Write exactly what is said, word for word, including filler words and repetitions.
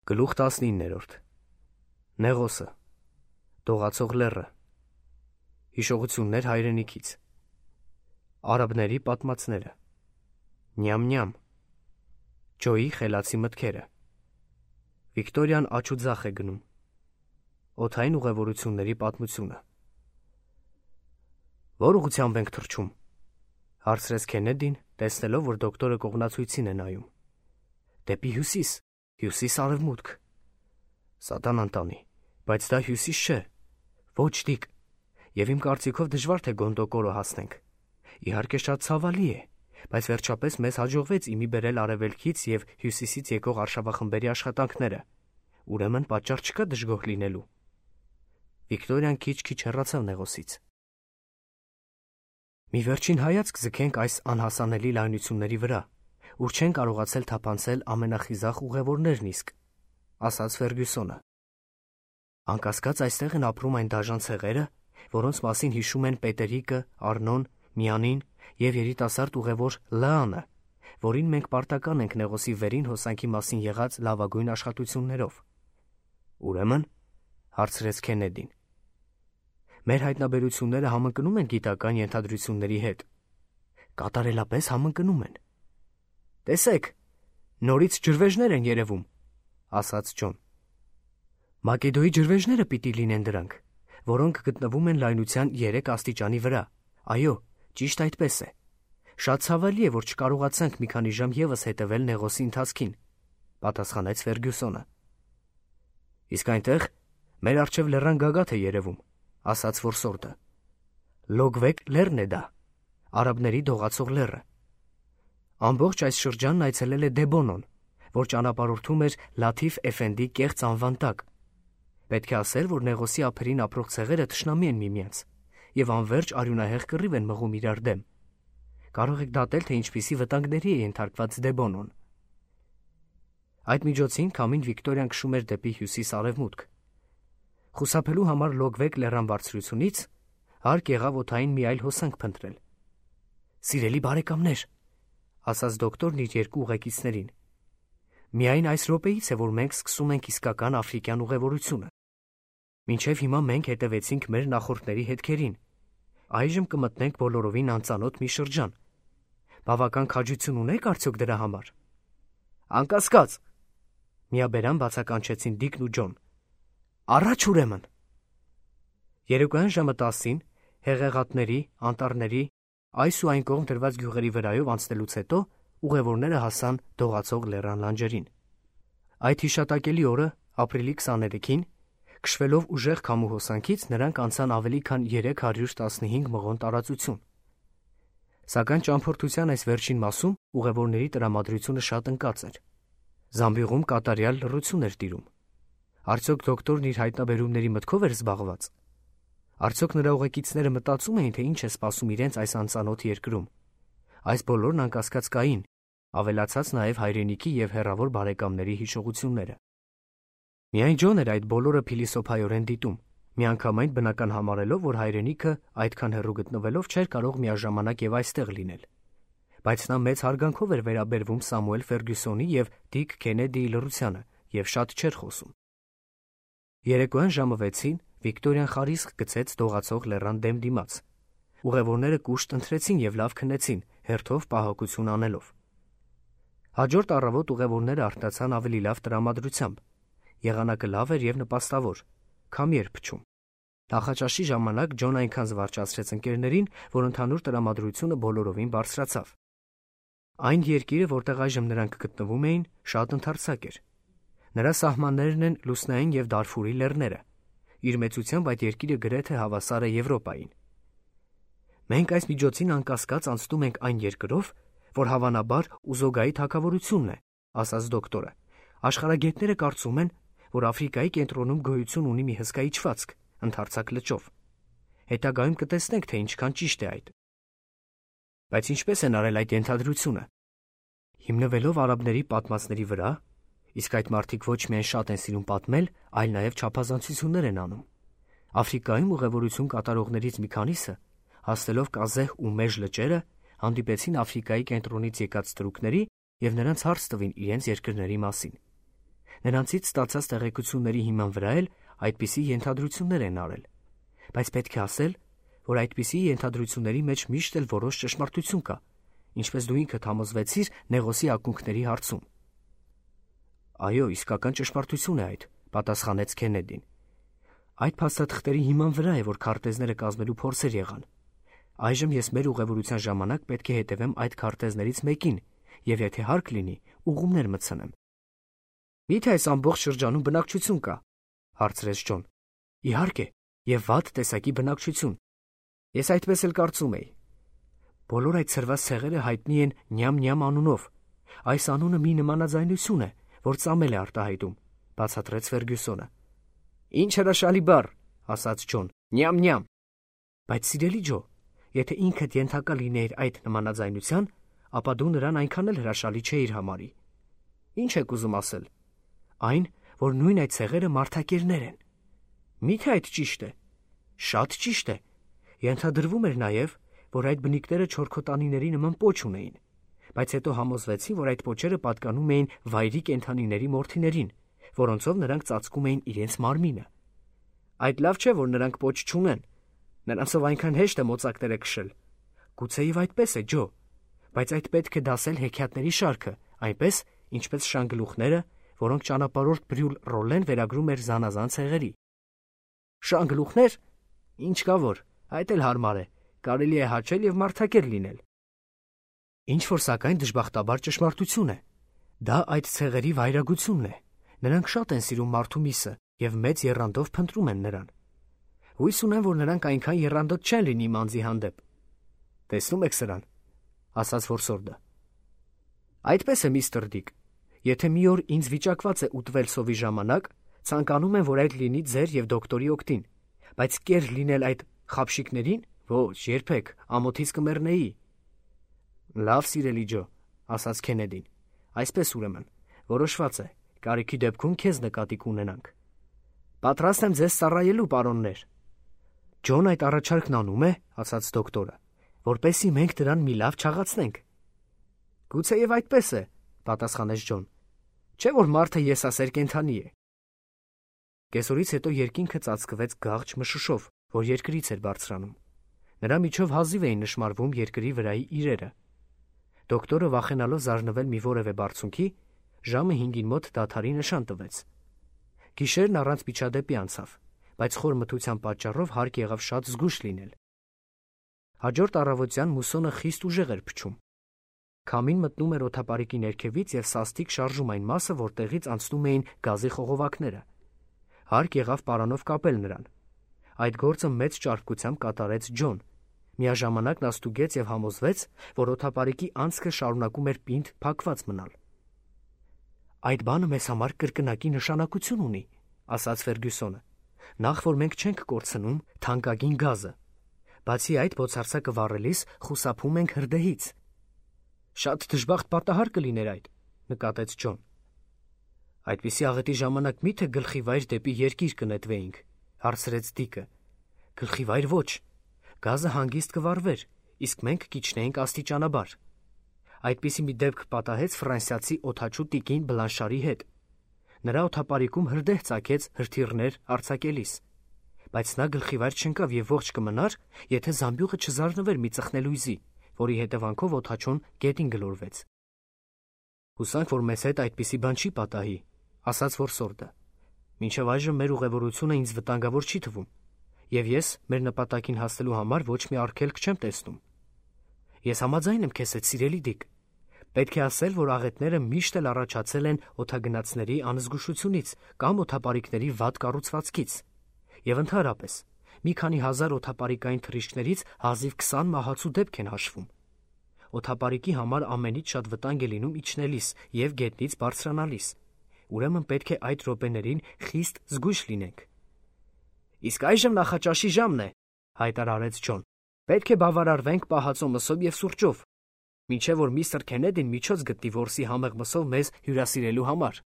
Գլուխ տասնիններորդ Նեղոսը Դողացող լեռը Հիշողություններ հայրենիքից Արաբների պատմածները Նյամ-նյամ Ջոյի խելացի մտքերը Վիկտորիան աջ ու ձախ է գնում Օդային ուղևորությունների պատմությունը Որ ուղղությամբ ենք թռչում, հարցրեց Քենեդին, տեսնելով, որ դոկտորը կողմնացույցին է նայում։ Դեպի հյուսիս, հյուսիս-արևմուտք։ Սատանան տանի, բայց դա հյուսիս չէ, ոչ դիկ, և իմ կարծիքով դժվար թե Գոնդոկորո հասնենք։ Իհարկե շատ ցավալի է, բայց վերջապես մեզ հաջողվեց իմի բերել արևելքից և հյուսիսից եկող արշավախմբերի աշխատանքները, ուրեմն պատճառ չկա դժգոհ լինելու։ Վիկտորիան քիչ-քիչ հեռացավ Նեղոսից։ Մի վերջին հայացք ձգենք այս անհասանելի լայնությունների վրա, ուր չեն կարողացել թափանցել ամենախիզախ ուղևորներն իսկ, ասաց Ֆերգյուսոնը։ Անկասկած այստեղ են ապրում այն դաժան ցեղերը, որոնց մասին հիշում են Պետերիկը, Արնոն, Միանին և երիտասարդ ուղևոր Լանը, որին մենք պարտական ենք Նեղոսի վերին հոսանքի մասին եղած լավագույն աշխատություններով։ Ուրեմն, հարցրեց Քենեդին, մեր հայտնաբերությունները համընկնում են գիտական ենթադրությունների հետ։ Կատարելապես համընկնում են։ Տեսեք, նորից ջրվեժներ են երևում, ասաց Ջոն։ Մակեդոյի ջրվեժները պիտի լինեն դրանք, որոնք գտնվում են լայնության երեք աստիճանի վրա։ Այո, ճիշտ այդպես է։ Շատ ցավալի է, որ չկարողացանք մի քանի ժամ ևս հետևել Նեղոսի ընթացքին, պատասխանեց Ֆերգյուսոնը։ Իսկ այնտեղ մեր առջև լեռան գագաթ է երևում, ասաց որսորդը։ Լոգվեկ լեռն է դա, արաբների դողացող լեռը։ Ամբողջ այս շրջանն այցելել է Դեբոնոն, որ ճանապարհորդում էր Լաթիֆ Էֆենդի կեղծ անվան տակ։ Պետք է ասել, որ Նեղոսի ափերին ապրող ցեղերը թշնամի են միմյանց և անվերջ արյունահեղ կռիվ են մղում իրար դեմ։ Կարող եք դատել, թե ինչպիսի վտանգների է ենթարկված Դեբոնոն։ Այդ միջոցին քամին Վիկտորիան քշում էր դեպի հյուսիս-արևմուտք։ Խուսափելու համար Լոգվեկ լեռան բարձրությունից հարկ եղավ օդային մի այլ հոսանք փնտրել։ Սիրելի բարեկամներ, ասաց դոկտորն իր երկու ուղեկիցներին, միայն այս րոպեից է, որ մենք սկսում ենք իսկական աֆրիկյան ուղևորությունը։ Մինչև հիմա մենք հետևեցինք մեր նախորդների հետքերին։ Այժմ կմտնենք բոլորովին անծանոթ մի շրջան։ Բավական քաջություն ունեք արդյոք դրա համար։ Անկասկած, միաբերան բացականչեցին Դիկն ու Ջոն։ Առաջ ուրեմն։ Երեկոյան ժամը տասին հեղեղատների, անտառների, այս ու այն կողմ դրված գյուղերի վրայով անցնելուց հետո ուղևորները հասան Դողացող լեռան լանջերին։ Այդ հիշատակելի օրը, ապրիլի քսաներեքին, քշվելով ուժեղ քամու հոսանքից, նրանք անցան ավելի քան երեք հարյուր տասնհինգ մղոն տարածություն։ Սակայն ճամփորդության այս վերջին մասում ուղևորների տրամադրությունը շատ ընկած էր։ Զամբյուղում կատարյալ լռություն էր տիրում։ Արդյոք դոկտորն իր հայտնաբերումների մտքով էր զբաղված։ Արդյոք նրա ուղեկիցները մտածում էին, թե ինչ է սպասում իրենց այս անծանոթ երկրում։ Այս բոլորն անկասկած կային, ավելացած նաև հայրենիքի և հեռավոր բարեկամների հիշողությունները։ Միայն Ջոն էր այդ բոլորը փիլիսոփայորեն դիտում, միանգամայն բնական համարելով, որ հայրենիքը այդքան հեռու գտնվելով չէր կարող միաժամանակ և այստեղ լինել։ Բայց նա մեծ հարգանքով էր վերաբերվում Սամուել Ֆերգյուսոնի և Դիկ Քենեդիի լռությանը և շատ չէր խոսում։ Երեկոյան ժամը վեցին Վիկտորիան խարիսկ գցեց Դողացող լեռան դեմ դիմաց։ Ուղևորները կուշտ ընթրեցին և լավ քնեցին, հերթով պահակություն անելով։ Հաջորդ առավոտ ուղևորները արտացան ավելի լավ տրամադրությամբ։ Եղանակը լավ էր և նպաստավոր, քամի էր փչում։ Նախաճաշի ժամանակ Ջոն այնքան զվարճացրեց ընկերներին, որ ընդհանուր տրամադրությունը բոլորովին բարձրացավ։ Այն երկիրը, որտեղ այժմ նրանք գտնվում էին, շատ ընդարձակ էր։ Նրա սահմաններն են Լուսնային և Դարֆուրի լեռները։ Իր մեծությամբ այդ երկիրը գրեթե հավասար է Եվրոպային։ Մենք այս միջոցին անկասկած անցնում ենք այն երկրով, որ հավանաբար Ուզոգայի թագավորությունն է, ասաց դոկտորը։ Աշխարհագետները կարծում են, որ Աֆրիկայի կենտրոնում գոյություն ունի մի հսկա իջվածք, ընդարձակ լճով։ Հետագայում կտեսնենք, թե ինչքան ճիշտ է այդ։ Բայց ինչպես են արել այդ ենթադրությունը։ Հիմնվելով արաբների պատմածների վրա, իսկ այդ մարդիկ ոչ միայն շատ են սիրում պատմել, այլ նաև չափազանցություններ են անում։ Աֆրիկայում ուղևորություն կատարողներից մի քանիսը, հասնելով Կազեհ ու Մեժ լճերը, հանդիպեցին Աֆրիկայի կենտրոնից եկած ստրուկների և նրանց հարց տվին իրենց երկրների մասին։ Նրանցից ստացած տեղեկությունների հիման վրա էլ այդպիսի ենթադրություններ են արել, բայց պետք է ասել, որ այդպիսի ենթադրությունների մեջ միշտ էլ որոշ ճշմարտություն կա, ինչպես դու ինքդ համոզվեցիր Նեղոսի ակունքների հարցում։ Այո, իսկական ճշմարտություն է այդ, պատասխանեց Քենեդին։ Այդ փաստաթղթերի հիման վրա է, որ քարտեզները կազմելու փորձեր եղան։ Այժմ ես մեր ուղևորության ժամանակ պետք է հետևեմ այդ քարտեզներից մեկին եւ եթե հարկ լինի, ուղումներ մտցնեմ։ Միթե այս ամբողջ շրջանում բնակչություն կա, հարցրեց Ջոն։ Իհարկե, եւ վատ տեսակի բնակչություն։ Ես այդպես էլ կարծում էի։ Բոլոր այդ ցրված ցեղերը հայտնի են Նյամ-Նյամ անունով։ Այս անունը մի նմանաձայնություն է, որ ծամել է արտահայտում, բացատրեց Ֆերգյուսոնը։ Ինչ հրաշալի բառ, ասաց Ջոն։ Նյամ-Նյամ։ Բայց սիրելի Ջո, եթե ինքդ ենթակա լինեիր այդ նմանաձայնության, ապա դու նրան այնքան էլ հրաշալի չէիր համարի։ Ինչ եք ուզում ասել։ Այն, որ նույն այդ ցեղերը մարդակերներ են։ Միթե այդ ճիշտ է։ Շատ ճիշտ է։ Ենթադրվում էր նաև, որ այդ բնիկները չորքոտանիների նման պոչ ունեին, բայց հետո համոզվեցին, որ այդ պոչերը պատկանում էին վայրի կենդանիների մորթիներին, որոնցով նրանք ծածկում էին իրենց մարմինը։ Այդ լավ չէ, որ նրանք պոչ չունեն։ Նրանցով այնքան հեշտ է մոծակները քշել։ Գուցեև այդպես է, Ջո, բայց այդ պետք է դասել հեքիաթների շարքը, այնպես, ինչպես շանգլուխները, որոնք ճանապարհորդ Բրյուլ Ռոլեն վերագրում էր զանազան ցեղերի։ Շանգլուխներ։ Ինչ կա որ, այդ էլ հարմար է, կարելի է հաճել եւ մարդակեր լինել։ Ինչ որ սակայն դժբախտաբար ճշմարտություն է։ Դա այդ ցեղերի վայրագությունն է։ Նրանք շատ են սիրում մարդու միսը եւ մեծ եռանդով փնտրում են նրան։ Հույս ունեմ, որ նրանք այնքան եռանդոտ չեն լինի մանձի հանդեպ։ Տեսնում եք սրան, ասաց որսորդը։ Այդպես է, միստր Դիկ։ Եթե մի օր ինձ վիճակված է ուտվել սովի ժամանակ, ցանկանում եմ, որ այդ լինի ձեր եւ դոկտորի օգտին, բայց կեր լինել այդ խապշիկներին, ոչ, երբեք, ամոթից կմեռնեի։ Լավ, սիրելի Ջո, ասաց Քենեդին։ Այսպես ուրեմն, որոշված է, կարիքի դեպքում քեզ նկատի կունենանք։ Պատրաստ եմ ձեզ ծառայելու, պարոններ։ Ջոն այդ առաջարկն անում է, ասաց դոկտորը, որպեսզի մենք դրան մի լավ չաղացնենք։ Գուցեև այդպես է, պատասխանեց Ջոն։ Չէ՞ որ մարդը եսասեր կենդանի է։ Կեսօրից հետո երկինքը ծածկվեց գաղջ մշուշով, որ երկրից էր բարձրանում։ Նրա միջով հազիվ էին նշմարվում երկրի վրայի իրերը։ Դոկտորը վախենալով զարնվել մի որևէ բարձունքի, ժամը հինգին մոտ դադարի նշան տվեց։ Գիշերն առանց միջադեպի անցավ, բայց խոր մթության պատճառով հարկ եղավ շատ զգույշ լինել։ Հաջորդ առավոտյան մուսոնը խիստ ուժեղ էր փչում։ Քամին մտնում էր օդապարիկի ներքևից եւ սաստիկ շարժում այն մասը, որտեղից անցնում էին գազի խողովակները։ Հարկ եղավ պարանով կապել նրան։ Այդ գործը մեծ ճարպկությամբ կատարեց Ջոն։ Միաժամանակ նա ստուգեց եւ համոզվեց, որ օդապարիկի անցքը շարունակում էր պինդ փակված մնալ։ Այդ բանը մեզ համար կրկնակի նշանակություն ունի, ասաց Ֆերգյուսոնը։ Նախ որ մենք չենք կորցնում թանկագին գազը։ Բացի այդ, բոցարսակը վառելիս խուսափում ենք հրդեհից։ Շատ դժբախտ պատահար կլիներ այդ, նկատեց Ջոն։ Այդպիսի աղետի ժամանակ միթե գլխի վայր դեպի երկիր կնետվեինք, հարցրեց Դիկը։ Գլխի վայր ոչ, գազը հանգիստ կվառվեր, իսկ մենք կիջնեինք աստիճանաբար։ Այդպիսի մի դեպք պատահեց ֆրանսիացի օդաչու տիկին Բլանշարի հետ։ Նրա օդապարիկում հրդեհ ծագեց հրթիռներ արձակելիս, բայց նա գլխի վայր չընկավ եւ ողջ կմնար, եթե զամբյուղը չզարնվեր մի ծխնելույզի, որի հետևանքով օդաչուն գետին գլորվեց։ Հուսանք, որ մեզ հետ այդպիսի բան չի պատահի, ասաց որսորդը։ Մինչև այժմ մեր ուղևորությունը ինձ վտանգավոր չի թվում, եւ ես մեր նպատակին հասնելու համար ոչ մի արգելք չեմ տեսնում։ Ես համաձայն եմ քեզ հետ, սիրելի Դիկ։ Պետք է ասել, որ աղետները միշտ էլ առաջացել են օդագնացների անզգուշությունից կամ օդապարիկների վատ կառուցվածքից։ Եվ ընդհանրապես, մի քանի հազար օդապարիկային թռիչքներից հազիվ քսան մահացու դեպք են հաշվում։ Օդապարիկի համար ամենից շատ վտանգ է լինում իջնելիս եւ գետնից բարձրանալիս։ Ուրեմն պետք է այդ րոպեներին խիստ զգույշ լինենք։ Իսկ այժմ նախաճաշի ժամն է, հայտարարեց Ջոն։ Պետք է բավարարվենք պահածո մսով եւ սուրճով, մինչեւ որ միստր Քենեդին միջոց գտնի որսի համեղ մսով մեզ հյուրասիրելու համար։